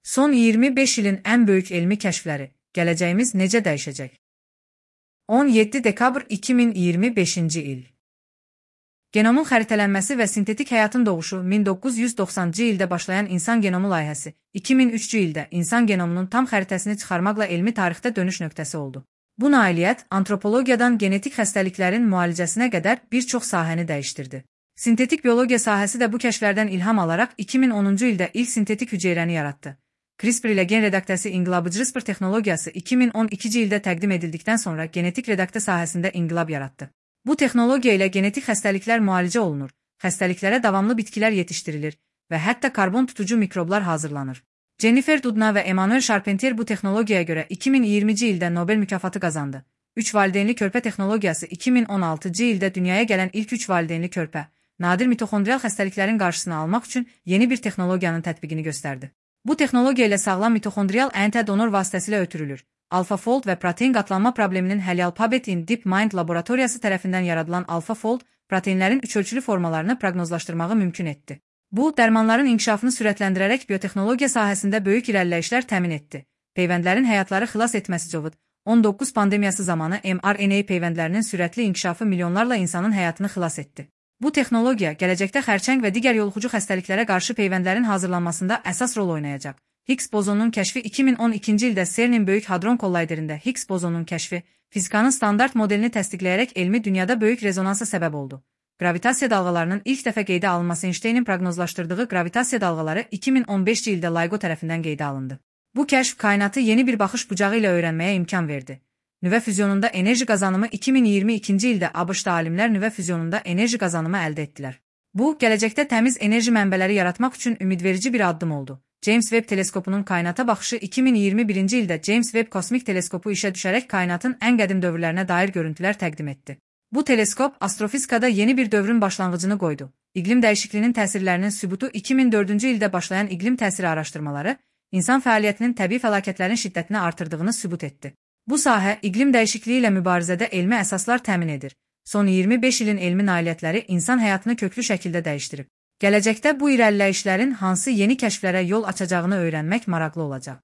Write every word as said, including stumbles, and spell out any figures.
Son iyirmi beş ilin ən böyük elmi kəşfləri, gələcəyimiz necə dəyişəcək? on yeddi dekabr iki min iyirmi beşinci il. Genomun xəritələnməsi və sintetik həyatın doğuşu min doqquz yüz doxsanıncı ildə başlayan insan genomu layihəsi, iki min üçüncü ildə insan genomunun tam xəritəsini çıxarmaqla elmi tarixdə dönüş nöqtəsi oldu. Bu nailiyyət antropologiyadan genetik xəstəliklərin müalicəsinə qədər bir çox sahəni dəyişdirdi. Sintetik biologiya sahəsi də bu kəşflərdən ilham alaraq iki min onuncu ildə ilk sintetik hüceyrəni yaratdı. CRISPR ilə gen redaktəsi inqilabıcı CRISPR texnologiyası iki min on ikinci ildə təqdim edildikdən sonra genetik redaktə sahəsində inqilab yaratdı. Bu texnologiya ilə genetik xəstəliklər müalicə olunur, xəstəliklərə davamlı bitkilər yetişdirilir və hətta karbon tutucu mikroblar hazırlanır. Jennifer Doudna və Emmanuel Charpentier bu texnologiyaya görə iki min iyirminci ildə Nobel mükafatı qazandı. üç valideynli körpə texnologiyası iki min on altıncı ildə dünyaya gələn ilk üç valideynli körpə, nadir mitoxondrial xəstəliklərin qarşısını almaq üçün yeni bir texnologiyanın tətbiqini göstərdi. Bu texnologiya ilə sağlam mitoxondrial ən tə donor vasitəsilə ötürülür. AlphaFold və protein qatlanma probleminin həlli Alphabet in DeepMind laboratoriyası tərəfindən yaradılan AlphaFold, proteinlərin üçölçülü formalarını proqnozlaşdırmağı mümkün etdi. Bu, dərmanların inkişafını sürətləndirərək biotexnologiya sahəsində böyük irəliləyişlər təmin etdi. Peyvəndlərin həyatları xilas etməsi COVID on doqquz pandemiyası zamanı M R N A peyvəndlərinin sürətli inkişafı milyonlarla insanın həyatını xilas etdi. Bu texnologiya gələcəkdə xərçəng və digər yoluxucu xəstəliklərə qarşı peyvəndlərin hazırlanmasında əsas rol oynayacaq. Higgs bozonunun kəşfi iki min on ikinci ildə CERN-in Böyük Hadron Kollayderində Higgs bozonunun kəşfi, fizikanın standart modelini təsdiqləyərək elmi dünyada böyük rezonansa səbəb oldu. Gravitasiya dalğalarının ilk dəfə qeydə alınması Einsteynin proqnozlaşdırdığı gravitasiya dalğaları iki min on beşinci ildə LIGO tərəfindən qeydə alındı. Bu kəşf kainatı yeni bir baxış bucağı ilə öyrənməyə imkan verdi. Nüvə füzyonunda enerji qazanımı iki min iyirmi ikinci ildə ABŞ-da alimlər nüvə füzyonunda enerji qazanımı əldə etdilər. Bu, gələcəkdə təmiz enerji mənbələri yaratmaq üçün ümidverici bir addım oldu. James Webb teleskopunun kainata baxışı iki min iyirmi birinci ildə James Webb kosmik teleskopu işə düşərək kainatın ən qədim dövrlərinə dair görüntülər təqdim etdi. Bu teleskop astrofizikada yeni bir dövrün başlanğıcını qoydu. İqlim dəyişikliyinin təsirlərinin sübutu iki min dördüncü ildə başlayan iqlim təsiri araşdırmaları, insan fəaliyyətinin təbii fəlakətlərin şiddətini artırdığını sübut etdi. Bu sahə, iqlim dəyişikliyi ilə mübarizədə elmi əsaslar təmin edir. Son iyirmi beş ilin elmi nailiyyətləri insan həyatını köklü şəkildə dəyişdirib. Gələcəkdə bu irəliləyişlərin hansı yeni kəşflərə yol açacağını öyrənmək maraqlı olacaq.